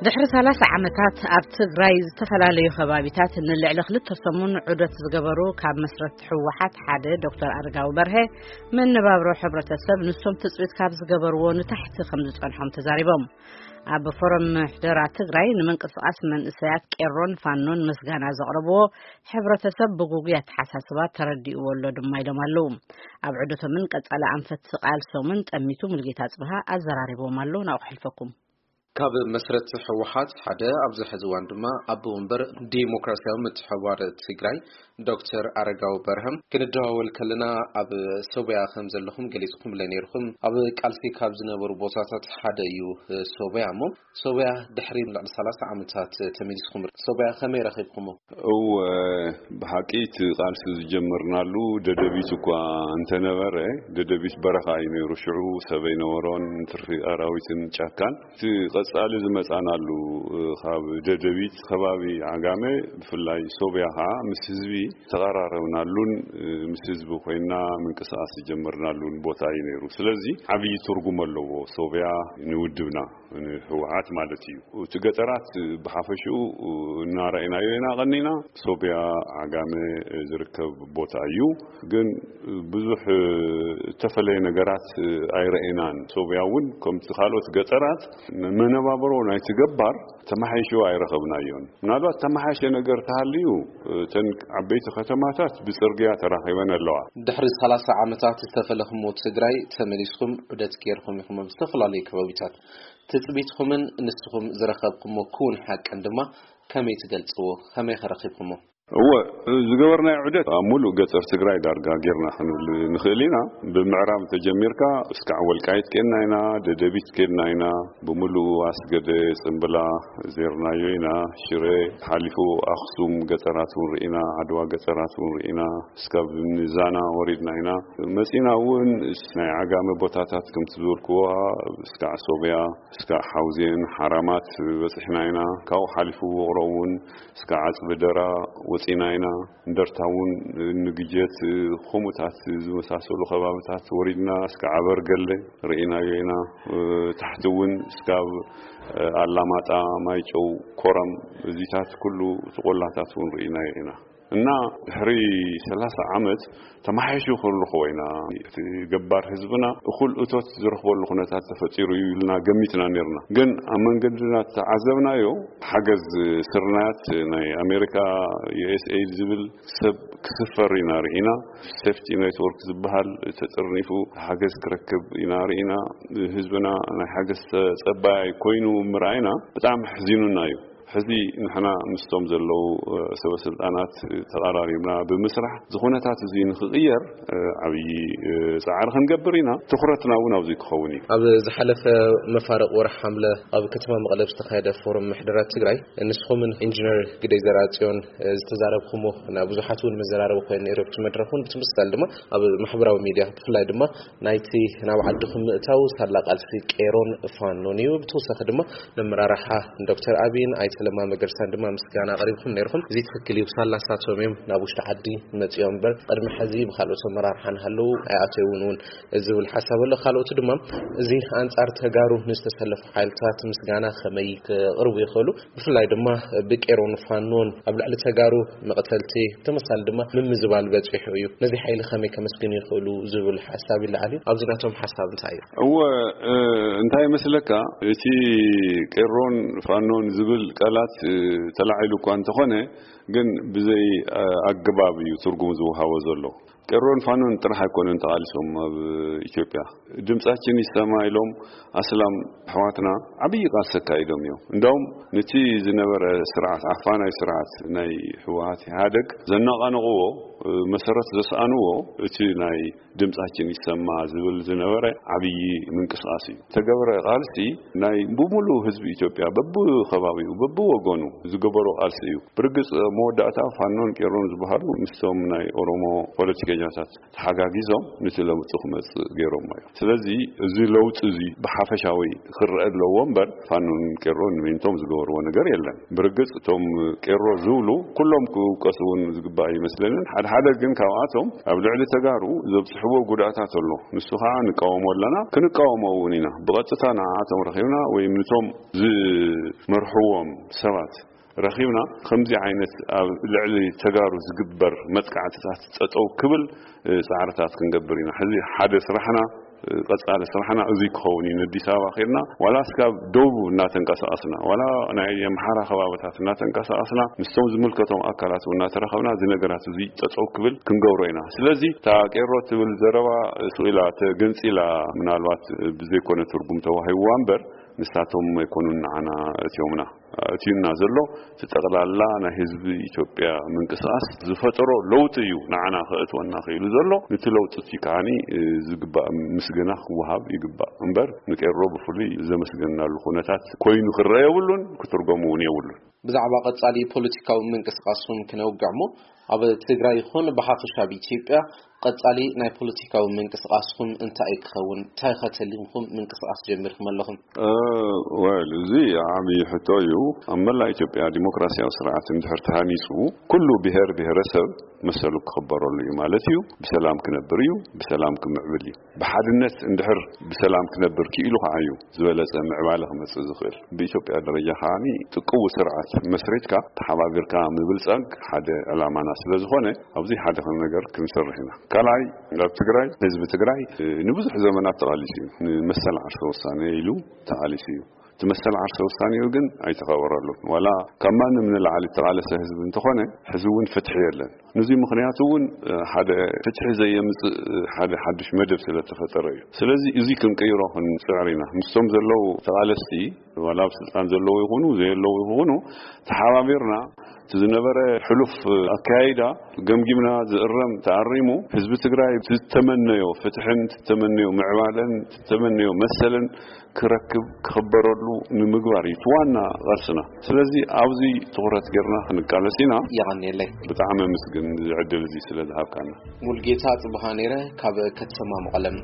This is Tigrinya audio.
ድሕሪ ሰላሳ ዓመታት ኣብ ትግራይ ዝተፈላለዩ ከባቢታት ንልዕሊ ክልተ ሰሙን ዑደት ዝገበሩ ካብ መስረት ህወሓት ሓደ ዶክተር ኣረጋዊ በርሀ፣ መነባብሮ ሕብረተሰብ ንሶም ትፅቢት ካብ ዝገበርዎ ንታሕቲ ከም ዝፀንሖም ተዛሪቦም። ኣብ ፎረም ምሕደራ ትግራይ ንምንቅስቃስ መንእሰያት ቄሮን ፋኖን ምስጋና ዘቕረብዎ ሕብረተሰብ ብጉጉይ ኣተሓሳስባ ተረዲእዎ ኣሎ ድማ ኢሎም ኣለዉ። ኣብ ዑደቶምን ቀጻሊ ኣንፈት ቃልሶምን ጠሚቱ ሙልጌታ ጽብሃ ኣዘራሪቦም ኣሎ። ናብኡ ክሕልፈኩም። ካብ መስረት ህወሓት ሓደ፣ ኣብዚ ሕዚ እዋን ድማ ኣቦ ወንበር ዲሞክራሲያዊ ምትሕብባር ትግራይ ዶክተር ኣረጋዊ በርሀም ክንደዋወል ከለና፣ ኣብ ሶብያ ከም ዘለኹም ገሊጽኩምለ ነይርኩም። ኣብ ቃልሲ ካብ ዝነበሩ ቦታታት ሓደ እዩ ሶብያ። እሞ ሶብያ ድሕሪ ልዕሊ ሰላሳ ዓመታት ተመሊስኩም። ሶብያ ከመይ ረኺብኩሞ? እወ፣ ብሓቂ እቲ ቃልሲ ዝጀመርናሉ ደደቢት እኳ እንተነበረ፣ ደደቢት በረኻ እዩ ነይሩ። ሽዑ ሰብ ኣይነበሮን፣ ትርፊ ኣራዊትን ጫካን። እቲ ቀጻሊ ዝመጻናሉ፣ ካብ ደደቢት ከባቢ ዓጋመ፣ ብፍላይ ሶብያ ኸዓ ምስ ህዝቢ ተቐራረብናሉን፣ ምስ ህዝቢ ኮይና ምንቅስቃስ ዝጀመርናሉን ቦታ እዩ ነይሩ። ስለዚ ዓብዪ ትርጉም ኣለዎ ሶብያ ንውድብና፣ ንህወሓት ማለት እዩ። እቲ ገጠራት ብሓፈሽኡ እናረኣይናዮ ኢና ቀኒና። ሶብያ፣ ዓጋመ ዝርከብ ቦታ እዩ። ግን ብዙሕ እተፈለየ ነገራት ኣይረኣናን። ሶብያ እውን ከምቲ ካልኦት ገጠራት መነባብሮ ናይቲ ገባር ተመሓይሹ ኣይረኸብናዮን። ምናልባት ተመሓየሸ ነገር ተሃልዩ፣ እተን ዓበይቲ ከተማታት ብጽርግያ ተራኺበን ኣለዋ። ድሕሪ ሰላሳ ዓመታት ዝተፈለኹሞ ትግራይ ተመሊስኩም ዑደት ገይርኩም ኢኹም ኣብ ዝተፈላለዩ ከባቢታት። ትጽቢትኩምን ንስኹም ዝረኸብኩሞ ክውን ሓቅን ድማ ከመይ ትገልጽዎ? ከመይ ከረኺብኩሞ? እወ፣ ዝገበርናዮ ዑደት ኣብ ሙሉእ ገጠር ትግራይ ዳርጋ ጌርና ክንብል ንኽእል ኢና። ብምዕራብ ተጀሚርካ እስካዕ ወልቃይት ኬድና ኢና፣ ደደቢት ኬድና ኢና፣ ብምሉኡ ኣስገደ፣ ጽምብላ ዜርናዮ ኢና፣ ሽረ ሓሊፉ ኣኽሱም ገጠራት እውን ርኢና፣ ዓድዋ ገጠራት እውን ርኢና፣ እስካብ ንዛና ወሪድና ኢና። መጺና እውን ናይ ዓጋመ ቦታታት ከምቲ ዝበልክዎ እስካዕ ሶብያ፣ እስካዕ ሓውዜን፣ ሓራማት በጺሕና ኢና። ካብኡ ሓሊፉ ውቕሮ እውን እስካዕ ዓጽቢ ደራ ወጺና ኢና። እንደርታ እውን ንግጀት፣ ከምኡታት ዝመሳሰሉ ከባብታት ወሪድና እስካዕ ኣበርገለ ርኢናዮ ኢና። ታሕቲ እውን እስካብ ኣላማጣ፣ ማይጨው፣ ኮረም፣ እዚታት ኩሉ እቲ ቆላታት እውን ርኢናዮ ኢና። እና ድሕሪ ሰላሳ ዓመት ተመሓይሹ ክንረኽቦ ኢና። እቲ ገባር ህዝብና እኹል እቶት ዝረኽበሉ ኩነታት ተፈጢሩ እዩ ኢልና ገሚትና ነይርና። ግን ኣብ መንገድና ዝተዓዘብናዮ ሓገዝ ስርናያት ናይ ኣሜሪካ፣ ዩ ኤስ ኤይድ ዝብል ሰብ ክስፈር ኢና ርኢና። ሴፍቲ ኔትወርክ ዝበሃል ተጠርኒፉ ሓገዝ ክረክብ ኢና ርኢና። ህዝብና ናይ ሓገዝ ተጸባያይ ኮይኑ ምርኣይና ብጣዕሚ ኣሕዚኑና እዩ። ሕዚ ንሕና ምስቶም ዘለዉ፣ እ፣ ሰበ ስልጣናት ተቐራሪብና ብምስራሕ፣ እዚ ኩነታት እዚ ንኽቕየር፣ እ፣ ዓብዪ፣ እ፣ ጻዕሪ ክንገብር ኢና። ትኹረትና እውን ኣብዚ ክኸውን እዩ። ኣብ ዝሓለፈ መፋርቕ ወርሒ ሓምለ ኣብ ከተማ መቐለ ዝተኻየደ ፎረም ምሕደራ ትግራይ፣ ንስኹምን ኢንጂነር ግደይ ዘርኣጽዮን፣ እ፣ ዝተዛረብኩሞ፣ ናብ ብዙሓት እውን መዘራረቢ ኮይኑ ነይሩ። ኣብቲ መድረኽ እውን ብትምስታል ድማ ኣብ ማሕበራዊ ሚድያ ብፍላይ ድማ ናይቲ ናብ ዓድኹም ምእታው ሳላ ቃልሲ ቄሮን ፋኖን እዩ። ብተወሳኺ ድማ ነመራርሓ ዶክተር ኣብይን ኣይተ ለማ መገርሳን ድማ ምስጋና ኣቕሪብኩም ነይርኩም። እዚ ትኽክል እዩ። ሳላ ሳቶም እዮም ናብ ውሽጢ ዓዲ መፂኦም እምበር ቅድሚ ሕዚ ብካልኦት ኣመራርሓ ንሃለዉ ኣይኣተውን እውን ዝብል ሓሳብ ኣሎ። ካልኦቱ ድማ እዚ ኣንጻር ተጋሩ ንዝተሰለፉ ሓይልታት ምስጋና ከመይ ክቕርቡ ይኽእሉ? ብፍላይ ድማ ብቄሮን ፋኖን ኣብ ልዕሊ ተጋሩ መቕተልቲ፣ ብተመሳሊ ድማ ምምዝባል በጺሑ እዩ። ነዚ ሓይሊ ከመይ ከመስግኑ ይኽእሉ ዝብል ሓሳብ ይለዓል እዩ። ኣብዚ ናቶም ሓሳብ እንታይ እዩ? እወ፣ እ፣ እንታይ ይመስለካ፣ እቲ ቄሮን ፋኖን ዝብል ቃላት፣ እ፣ ተላዒሉ እኳ እንተኾነ፣ ግን ብዘይ፣ እ፣ ኣገባብ እዩ ትርጉም ዝወሃቦ ዘሎ። ቄሮን ፋኖን ጥራሕ ኣይኮነን ተቓሊሶም ኣብ ኢትዮጵያ። ድምጻችን ይሰማ ኢሎም ኣስላም ኣሕዋትና ዓብዪ ቃልሲ ኣካይዶም እዮም። እንዳውም ነቲ ዝነበረ ስርዓት፣ ዓፋናይ ስርዓት ናይ ህወሓት ኢህኣደግ ዘነቓንቕዎ፣ መሰረት ዘስኣንዎ እቲ ናይ ድምጻችን ይሰማ ዝብል ዝነበረ ዓብዪ ምንቅስቃስ እዩ። ተገብረ ቃልሲ ናይ ብሙሉእ ህዝቢ ኢትዮጵያ በብኸባቢኡ በብወገኑ ዝገበሮ ቃልሲ እዩ። ብርግጽ መወዳእታ ፋኖን ቄሮን ዝበሃሉ ምስቶም ናይ ኦሮሞ ፖለቲከኛታት ተሓጋጊዞም ነቲ ለውጢ ክመጽእ ገይሮሞ እዮም። ስለዚ እዚ ለውጢ እዚ ብሓፈሻዊ ክረአ ኣለዎ እምበር ፋኖን ቄሮን ንሜንቶም ዝገበርዎ ነገር የለን። ብርግጽ እቶም ቄሮ ዝብሉ ኩሎም ክውቀሱ እውን ዝግባእ ኣይመስለንን። ሓደ ሓደ ግን ካብኣቶም ኣብ ልዕሊ ተጋሩ ዘብፅሕዎ ጉድኣታት ኣሎ። ንሱ ከዓ ንቃወሞ ኣለና፣ ክንቃወሞ እውን ኢና። ብቐጥታ ንዓኣቶም ረኺብና ወይ ንቶም ዝመርሕዎም ሰባት ረኺብና ከምዚ ዓይነት ኣብ ልዕሊ ተጋሩ ዝግበር መጥቃዕትታት ጠጠው ክብል እ፣ ፃዕርታት ክንገብር ኢና። ሕዚ ሓደ ስራሕና፣ እ፣ ቀፃሊ ስራሕና እዙይ ክኸውን እዩ። ንኣዲስ ኣበባ ኬድና ዋላ እስካብ ደቡብ እናተንቀሳቐስና ዋላ ናይ ኣምሓራ ከባብታት እናተንቀሳቐስና ምስቶም ዝምልከቶም ኣካላት እውን እናተራኸብና እዚ ነገራት እዙይ ጠጠው ክብል ክንገብሮ ኢና። ስለዚ እታ ቄሮ ትብል ዘረባ ስቕ ኢላ ተገንፂላ ምናልባት ብዘይኮነ ትርጉም ተዋሂብዋ እምበር ንሳቶም ኣይኮኑን ንዓና እትዮምና። እትዩና ዘሎ እቲ ጠቕላላ ናይ ህዝቢ ኢትዮጵያ ምንቅስቃስ ዝፈጠሮ ለውጢ እዩ ንዓና ከእትወና ክኢሉ ዘሎ። ነቲ ለውጢ እቲ ከዓኒ ዝግባእ ምስገና ክወሃብ ይግባእ እምበር ንቄሮ ብፍሉይ ዘመስገናሉ ኩነታት ኮይኑ ክረአ የብሉን፣ ክትርጎም እውን የብሉን። ብዛዕባ ቀጻሊ ፖለቲካዊ ምንቅስቃስኩም ክነውግዕ እሞ ኣብ ትግራይ ይኹን ብሓፈሻ ኣብ ኢትዮጵያ ቀጻሊ ናይ ፖለቲካዊ ምንቅስቃስኩም እንታይ ክኸውን? እንታይ ከተሊምኩም ምንቅስቃስ ጀሚርኩም ኣለኹም? እ፣ ወል፣ እዚ ዓብዪ ሕቶ እዩ። ኣብ መላእ ኢትዮጵያ ዲሞክራሲያዊ ስርዓት እንድሕር ተሃኒጹ፣ ኩሉ ብሔር ብሔረሰብ መሰሉ ክኽበረሉ እዩ ማለት እዩ። ብሰላም ክነብር እዩ፣ ብሰላም ክምዕብል እዩ። ብሓድነት እንድሕር ብሰላም ክነብር ክኢሉ ከዓ እዩ ዝበለጸ ምዕባለ ክመጽእ ዝኽእል። ብኢትዮጵያ ደረጃ ከዓኒ ጥቅው ስርዓት መስሪትካ ተሓባቢርካ ምብልጻግ ሓደ ዕላማና ስለ ዝኾነ፣ ኣብዚ ሓደ ከም ነገር ክንሰርሕ ኢና። ካልኣይ፣ ኣብ ትግራይ፣ ህዝቢ ትግራይ፣ እ፣ ንብዙሕ ዘመናት ተቓሊሱ እዩ። ንመሰል ዓርሰ ውሳኔ ኢሉ ተቓሊሱ እዩ። እቲ መሰል ዓርሰ ውሳኔኡ ግን ኣይተኸበረሉን። ዋላ ካብ ማንም ንላዕሊ እተቓለሰ ህዝቢ እንተኾነ፣ ሕዚ እውን ፍትሒ የለን። ነዚ ምኽንያቱ እውን፣ እ፣ ሓደ ፍትሒ ዘየምጽእ፣ እ፣ ሓደ ሓድሽ መደብ ስለ ተፈጠረ እዩ። ስለዚ እዚ ክንቅይሮ ክንጽዕር ኢና። ምስቶም ዘለዉ ተቓለስቲ ዋላ ኣብ ስልጣን ዘለዉ ይኹኑ ዘየለዉ ይኹኑ፣ ተሓባቢርና እቲ ዝነበረ ሕሉፍ ኣካያይዳ ገምጊምና ዝእረም ተኣሪሙ ህዝቢ ትግራይ ዝተመነዮ ፍትሕን ዝተመነዮ ምዕባለን ዝተመነዮ መሰልን ክረክብ ክኽበረሉ ንምግባር እዩ እቲ ዋና ቃልስና። ስለዚ ኣብዚ ትኹረት ጌርና ክንቃለስ ኢና። የቐንየለይ። ብጣዕሚ ኣመስግን እዚ ዕድል እዚ ስለ ዝሃብካና። ሙልጌታ ጽብሃ ነይረ ካብ ከተማ መቐለም።